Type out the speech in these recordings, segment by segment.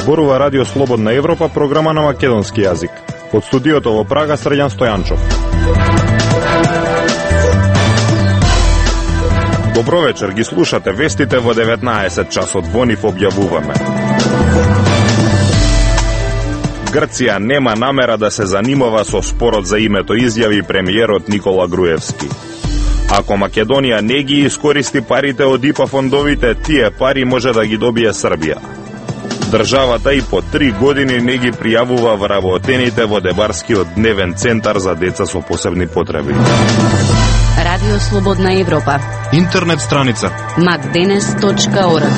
Зборува Радио Слободна Европа, програма на македонски јазик. Од студиото во Прага, Срđan Стојанчов. Добро вечер, ги слушате вестите во 19 часот, во нив објавуваме. Грција нема намера да се занимава со спорот за името, изјави премиерот Никола Груевски. Ако Македонија не ги искористи парите од ИПА фондовите, тие пари може да ги добие Србија. Државата и по 3 години не ги пријавува вработените во Дебарскиот дневен центар за деца со посебни потреби. Радио Слободна Европа. Интернет страница macdenes.org.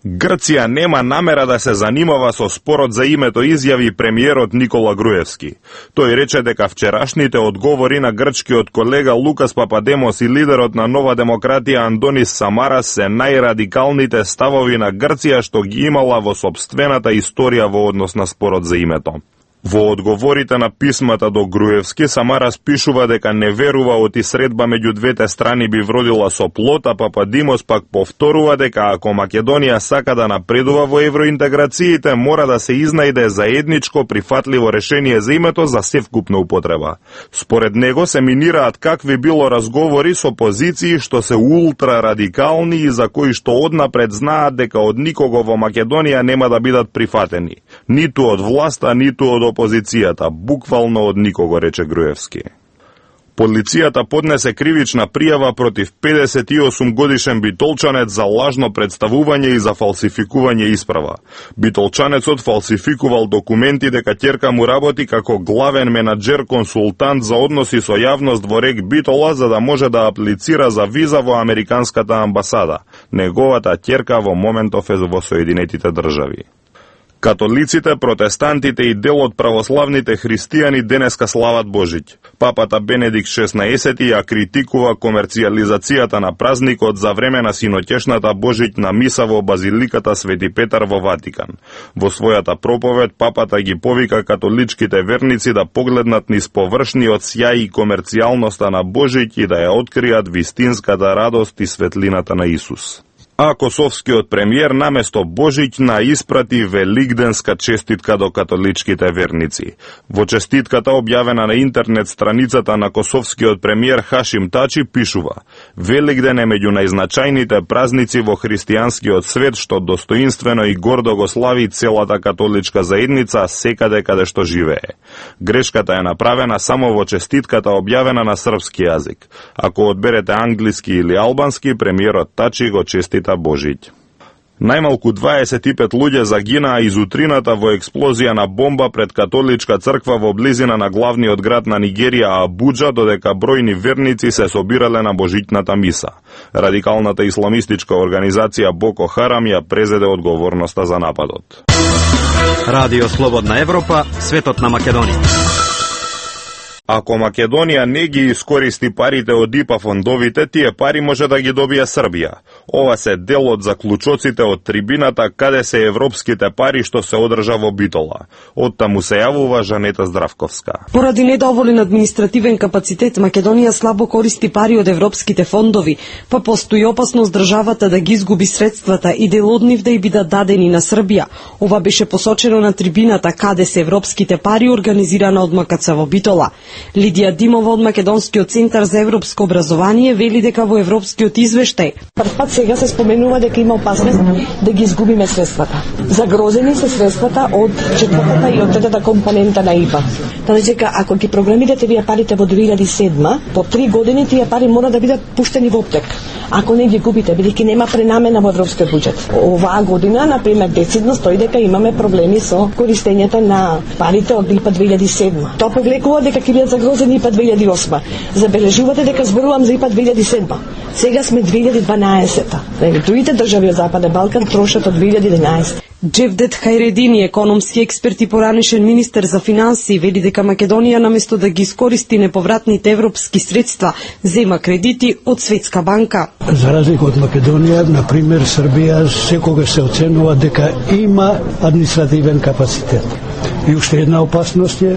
Грција нема намера да се занимава со спорот за името, изјави премиерот Никола Груевски. Тој рече дека вчерашните одговори на грчкиот колега Лукас Пападемос и лидерот на Нова демократија Андонис Самарас се најрадикалните ставови на Грција што ги имала во сопствената историја во однос на спорот за името. Во одговорите на писмата до Груевски, Самарас пишува дека не верува оти средба меѓу двете страни би вродила со плод, а Пападимос пак повторува дека ако Македонија сака да напредува во евроинтеграциите, мора да се изнајде заедничко прифатливо решение за името за севкупна употреба. Според него се минираат какви било разговори со позиции што се ултрарадикални и за кои што однапред знаат дека од никого во Македонија нема да бидат прифатени. Ниту од власта, ниту од опозицијата, буквално од никого, рече Груевски. Полицијата поднесе кривична пријава против 58 годишен битолчанец за лажно представување и за фалсификување исправа. Битолчанецот фалсификувал документи дека ќерка му работи како главен менаџер консултант за односи со јавност во РЕК Битола за да може да аплицира за виза во Американската амбасада. Неговата ќерка во моментов е во Соединетите држави. Католиците, протестантите и дел од православните христијани денеска слават Божиќ. Папата Бенедикт XVI ја критикува комерцијализацијата на празникот за време на синоќешната Божиќ на миса во Базиликата Свети Петар во Ватикан. Во својата проповед папата ги повика католичките верници да погледнат низ површниот сјај и комерцијалноста на Божиќ и да ја откријат вистинската радост и светлината на Исус. А косовскиот премиер наместо Божиќна испрати великденска честитка до католичките верници. Во честитката објавена на интернет страницата на косовскиот премиер Хашим Тачи пишува: Великден е меѓу најзначајните празници во христијанскиот свет што достоинствено и гордо го слави целата католичка заедница секаде каде што живее. Грешката е направена само во честитката објавена на српски јазик. Ако одберете англиски или албански, премиерот Тачи го честита Божиќ. Најмалку 25 луѓе загинаа из утрината во експлозија на бомба пред католичка црква во близина на главниот град на Нигерија, Абуџа, додека бројни верници се собирале на божиќната миса. Радикалната исламистичка организација Боко Харам ја презеде одговорноста за нападот. Радио Слободна Европа, светот на Македонија. Ако Македонија не ги искористи парите од ИПА фондовите, тие пари може да ги добие Србија. Ова се дел од заклучоците од трибината каде се европските пари што се одржа во Битола. Оттаму се јавува Жанета Здравковска. Поради недоволен административен капацитет, Македонија слабо користи пари од европските фондови, па постои опасност државата да ги изгуби средствата и дел од нив да и бидат дадени на Србија. Ова беше посочено на трибината каде се европските пари организирана од МКЦ во Битола. Лидија Димова од Македонскиот центар за европско образование вели дека во европскиот извештај првпат сега се споменува дека има опасност да ги изгубиме средствата. Загрозени се средствата од четвртата и од третата компонента на ИПА. Тоа дека ако ги програмирате вие парите во 2007, по 3 години тие пари мора да бидат пуштени во оптек. Ако не ги губите, бидејќи нема пренамена во европскиот буџет. Оваа година, например, децидно стои дека имаме проблеми со користењето на парите од ИПА 2007. Тоа повлекува дека ќе бидат загрозени ИПА 2008. Забележувате дека зборувам за ИПА 2007. Сега сме 2012. Другите држави од Западен Балкан трошат од 2011. Джевдет Хајредини, економски експерт и поранешен министер за финансии, вели дека Македонија наместо да ги искористи неповратните европски средства, зема кредити од Светска банка. За разлика од Македонија, на пример Србија секогаш се оценува дека има административен капацитет. И уште една опасност е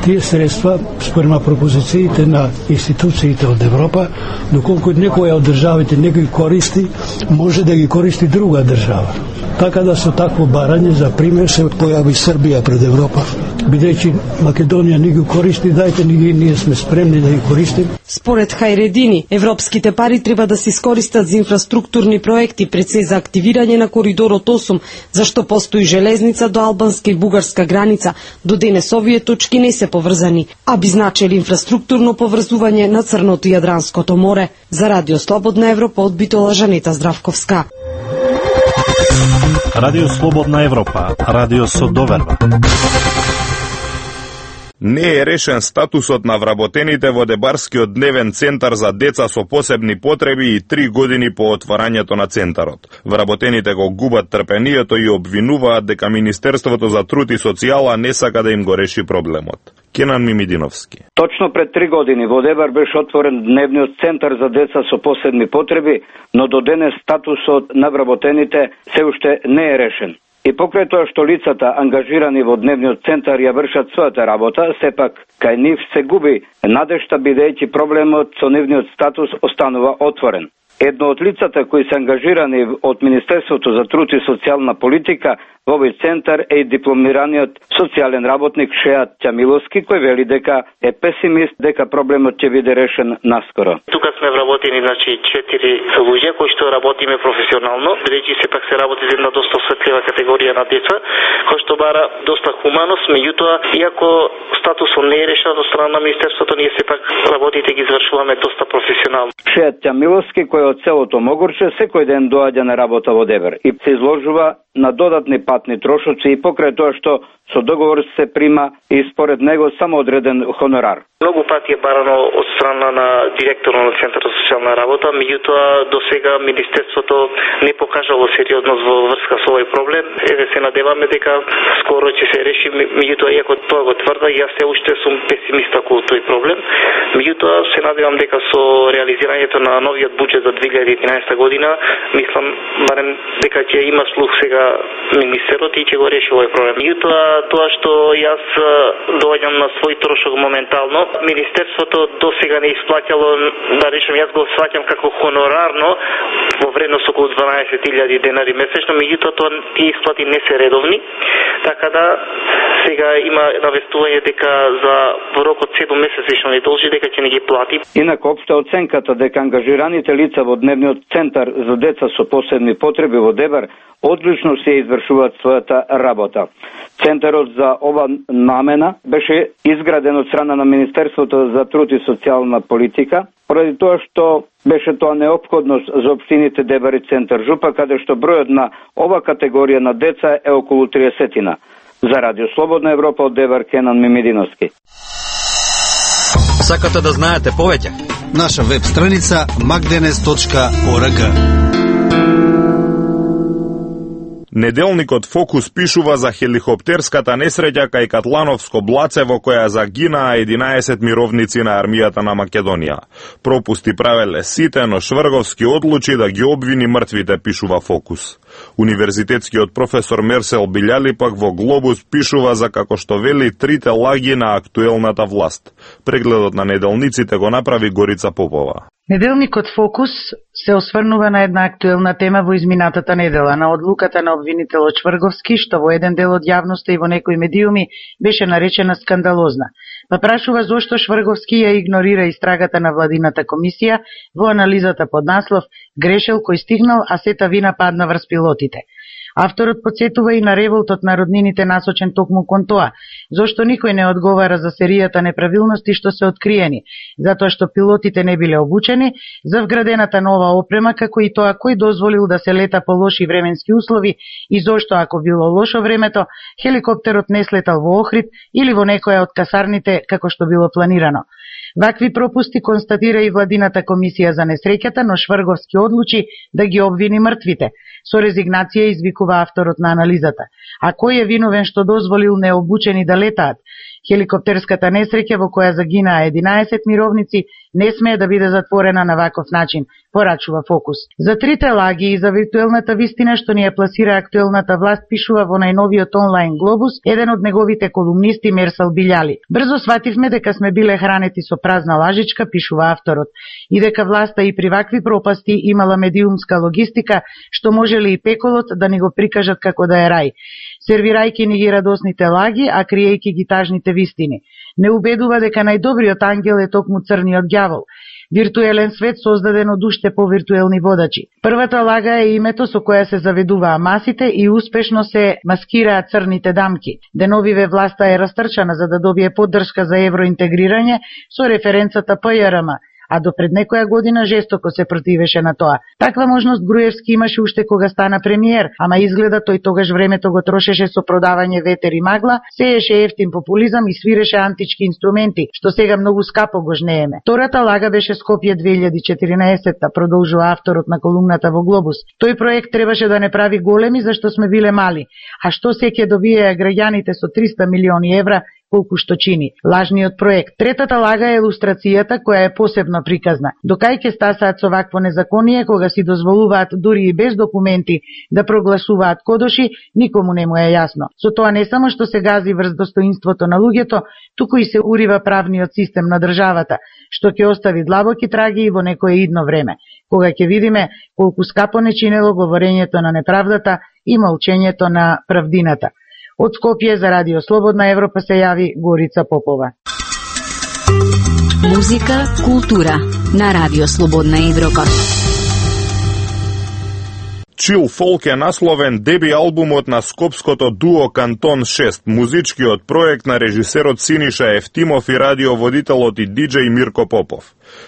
Тие средства, според пропозициите на институциите од Европа, доколку некоја од државите не ги користи, може да ги користи друга држава. Така да со такво барање, за пример, се појави Србија пред Европа. Бидејќи Македонија не ги користи, дајте ние сме спремни да ги користим. Според Хајредини, европските пари треба да се искористат за инфраструктурни проекти, пред се за активирање на коридорот 8, зашто постои железница до албанска и бугарска граница. До денес овие точки не се поврзани, а би значели инфраструктурно поврзување на Црното и Јадранското море. За Радио Слободна Европа од Битола, Жанета Здравковска. Радио Слободна Европа, радио со доверба. Не е решен статусот на вработените во Дебарскиот дневен центар за деца со посебни потреби и 3 години по отварањето на центарот. Вработените го губат трпението и обвинуваат дека Министерството за труд и социјала не сака да им го реши проблемот. Кенан Мимидиновски. Точно пред 3 години во Дебар беше отворен дневниот центар за деца со посебни потреби, но до денес статусот на вработените се уште не е решен. И покрај тоа што лицата ангажирани во дневниот центар ја вршат својата работа, сепак кај нив се губи надежта, бидејќи проблемот со нивниот статус останува отворен. Едно од лицата кои се ангажирани од Министерството за труд и социјална политика во овој центар е дипломираниот социјален работник Шеат Ќамиловски, кој вели дека е песимист дека проблемот ќе биде решен наскоро. Тука сме вработени 4 луѓе кои што работиме професионално, бидејќи сепак се работи за една доста осветлива категорија на деца, кој што бара доста хуманост, меѓутоа иако статусот не е решен од страна на Министерството, ние сепак работите ги извршуваме доста професионално. Шеат Ќамиловски, кој од селото Могорче секој ден доаѓа на работа во Дебар и се изложува на додатни патни трошоци и покрај тоа што со договор се прима и според него само одреден хонорар. Многу пати е барано од страна на директорот на Центарот за социјална работа, меѓутоа до сега Министерството не покажало сериозност во врска со овој проблем. Еве се надеваме дека скоро ќе се реши, меѓутоа иако тоа го тврда, јас се уште сум песимист околу тој проблем. Меѓутоа се надевам дека со реализирањето на новиот буџет за 2011 година, мислам барем дека ќе има слух сега министерот и ќе го реши овој проблем. Меѓутоа тоа што јас доаѓам на свој трошок моментално, Министерството до сега не исплаќало, да речем, јас го сваќам како хонорарно во вредност околу 12.000 денари месечно, меѓутоа тоа тие исплати не се редовни, така да сега има навестување дека за во рок од 7 месеци што не должи дека ќе не ги плати. Инаку општа оценката дека ангажираните лица во дневниот центар за деца со посебни потреби во Дебар одлично се извршуваат својата работа. Центарот за ова намена беше изграден од страна на Министерството за труд и социјална политика, поради тоа што беше тоа неопходност за општините Дебар и Центар Жупа, каде што бројот на ова категорија на деца е околу 30. За Радио Слободна Европа од Дебар, Кенан Мимидиновски. Сакате да знаете повеќе? Наша веб страница magdenes.org. Неделникот Фокус пишува за хеликоптерската несреќа кај Катлановско блаце во која загинаа 11 мировници на армијата на Македонија. Пропусти правеле сите, но Шврговски одлучи да ги обвини мртвите, пишува Фокус. Универзитетскиот професор Мерсел Билјали пак во Глобус пишува за како што вели трите лаги на актуелната власт. Прегледот на неделниците го направи Горица Попова. Неделникот Фокус се осврнува на една актуелна тема во изминатата недела, на одлуката на обвинителот Шврговски, што во еден дел од јавноста и во некои медиуми беше наречена скандалозна. Па прашува зошто Шврговски ја игнорира истрагата на владината комисија во анализата под наслов "Грешел кој стигнал, а сета вина падна врз пилотите". Авторот подсетува и на револтот на роднините насочен токму кон тоа, зошто никој не одговара за серијата неправилности што се откриени, затоа што пилотите не биле обучени за вградената нова опрема, како и тоа кој дозволил да се лета по лоши временски услови и зошто, ако било лошо времето, хеликоптерот не слетал во Охрид или во некоја од касарните како што било планирано. Вакви пропусти констатира и владината комисија за несреќата, но Шврговски одлучи да ги обвини мртвите. Со резигнација извикува авторот на анализата. А кој е виновен што дозволил необучени да летаат? Хеликоптерската несреќа во која загинаа 11 мировници не смее да биде затворена на ваков начин, порачува Фокус. За трите лаги и за виртуелната вистина што ни ја пласира актуелната власт, пишува во најновиот онлайн Глобус еден од неговите колумнисти Мерсал Билјали. Брзо свативме дека сме биле хранети со празна лажичка, пишува авторот, и дека власта и при вакви пропасти имала медиумска логистика, што можеле и пеколот да ни го прикажат како да е рај, сервирајќи ни ги радосните лаги, а криејќи ги тажните вистини. Не убедува дека најдобриот ангел е токму црниот ѓавол, виртуелен свет создаден од уште повиртуелни водачи. Првата лага е името со која се заведуваа масите и успешно се маскираат црните дамки. Деновиве власта е растрчана за да добие поддршка за евроинтегрирање со референцата ПЈРМ, а до пред некоја година жестоко се противеше на тоа. Таква можност Груевски имаше уште кога стана премиер, ама изгледа тој тогаш времето го трошеше со продавање ветер и магла, сееше ефтин популизам и свиреше антички инструменти, што сега многу скапо го жнееме. Втората лага беше Скопје 2014, продолжува авторот на колумната во Глобус. Тој проект требаше да не прави големи, зашто сме биле мали. А што се ќе добиеа граѓаните со 300 милиони евра, колку што чини лажниот проект. Третата лага е илустрацијата, која е посебно приказна. Докај ќе стасаат со вакво незаконие, кога си дозволуваат дури и без документи да прогласуваат кодоши, никому не му е јасно. Со тоа не само што се гази врз достоинството на луѓето, туку и се урива правниот систем на државата, што ќе остави длабоки траги и во некое идно време, кога ќе видиме колку скапо не чинело говорењето на неправдата и молчењето на правдината. Од Скопје за Радио Слободна Европа се јави Горица Попова. Музика, култура на Радио Слободна Европа. Chill Folk е насловен деби албумот на скопското дуо Кантон 6, музичкиот проект на режисерот Синиша Ефтимов и радиоводителот и диџеј Мирко Попов.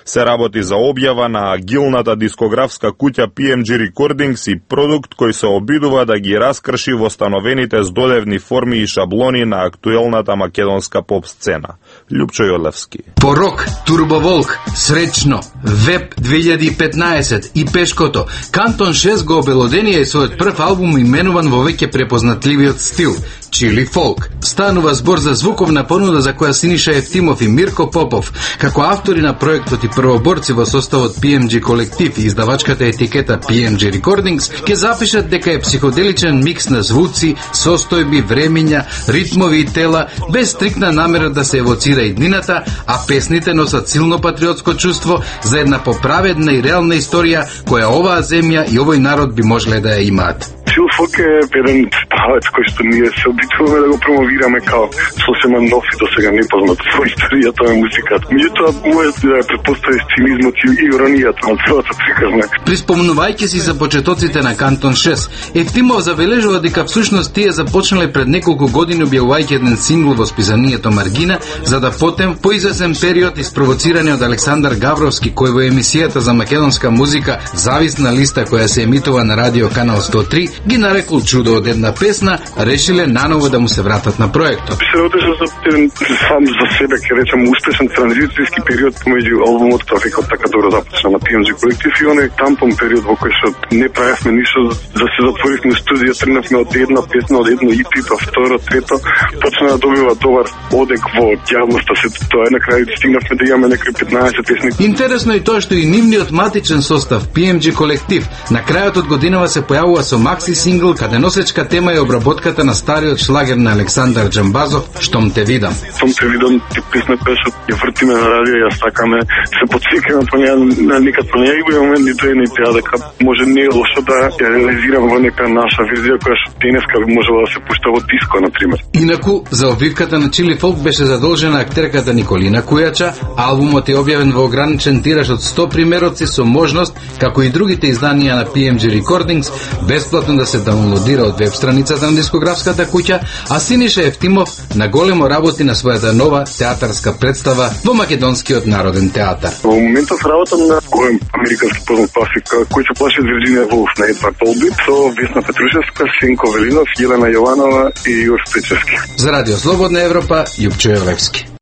Се работи за објава на агилната дискографска куќа PMG Recordings и продукт кој се обидува да ги раскрши востановените здодевни форми и шаблони на актуелната македонска поп сцена. Љупчо Јолевски. Порок, Турбоволк, Сречно, Веб 2015 и Пешкото. Кантон 6 го обелоденија и својот прв албум именуван во веќе препознатливиот стил Chill Folk. Станува збор за звуковна понуда за која Синиша Ефтимов и Мирко Попов, како автори на проектот и првоборци во составот PMG колектив и издавачката етикета PMG Recordings, ќе запишат дека е психоделичен микс на звуци, состојби, времења, ритмови и тела, без стрикна намера да се евоцира иднината, а песните носат силно патриотско чувство за една поправедна и реална историја која оваа земја и овој народ би можеле да ја имаат. Chill Folk е еден правец кој што ние се обидуваме да го промовираме као сосема нов и досега непознат во историјата на музиката. Меѓутоа, може да ја претпостави цинизмот и иронијата на целата приказна. Приспомнувајќи си за почетоците на Кантон 6, Ефтимов забележува дека всушност тие започнале пред неколку години објавувајќи еден сингл во списанието Маргина, за да потем по извесен период испровоцирани од Александар Гавровски, кој во емисијата за македонска музика Зависна листа која се емитува на радио канал 103 ги нарекол чудо од една песна, решиле наново да му се вратат на проектот. Се работеше за еден сам за себе, ќе речем, успешен транзицијски период помеѓу албумот Трафикот така добро започна на PMG колектив и оној тампон период во кој што не правевме ништо, да се затворивме студија, тргнавме од една песна, од едно EP, па второ, трето, почна да добива добар одек во јавноста, се тоа на крај стигнавме да имаме некои 15 песни. Интересно е тоа што и нивниот матичен состав PMG колектив на крајот од годинава се појавува со макси сингл каде носечка тема е обработката на стариот шлагер на Александар Џамбазов "Штом те видам". Штом те видам, песна која што ја вртиме на радио, ја стакаме, се потсекаме по неја, никад по неја и во момент ни тоа не теа дека може не е лошо да ја реализираме во нека наша верзија која што денеска би можела да се пушта во диско, на пример. Инаку, за обвивката на Chill Folk беше задолжена актерката Николина Кујача. Албумот е објавен во ограничен тираж од 100 примероци со можност, како и другите изданија на PMG Recordings, бесплатно да се даунлодира од веб страницата на дискографската куќа, а Синиша Ефтимов на големо работи на својата нова театарска представа во Македонскиот народен театар. Во моментов работам на голем американски познат класик кој се плаши од Вирџинија Вулф на Едвард Олбит со Весна Петрушевска, Сенко Велинов, Јелена Јованова и Јур Стечевски. За Радио Слободна Европа, Љупчо Јолевски.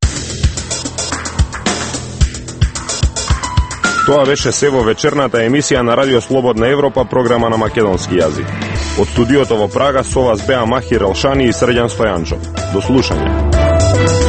Тоа беше се во вечерната емисија на Радио Слободна Европа, програма на македонски јазик. Од студиото во Прага со вас беа Махир Елшани и Срđan Стојанчов. До слушање.